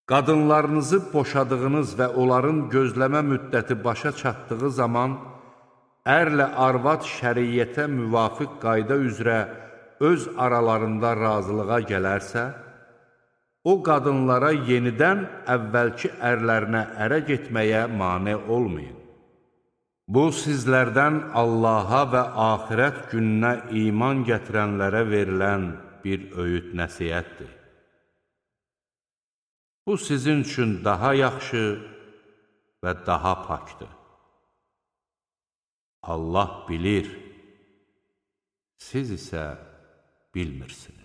Qadınlarınızı boşadığınız və onların gözləmə müddəti başa çatdığı zaman, ərlə arvad şəriyyətə müvafiq qayda üzrə öz aralarında razılığa gələrsə, o qadınlara yenidən əvvəlki ərlərinə ərə getməyə mane olmayın. Bu, sizlərdən Allaha və axirət gününə iman gətirənlərə verilən bir öyüd nəsihətdir. Bu, sizin üçün daha yaxşı və daha pakdır. Allah bilir, siz isə bilmirsiniz.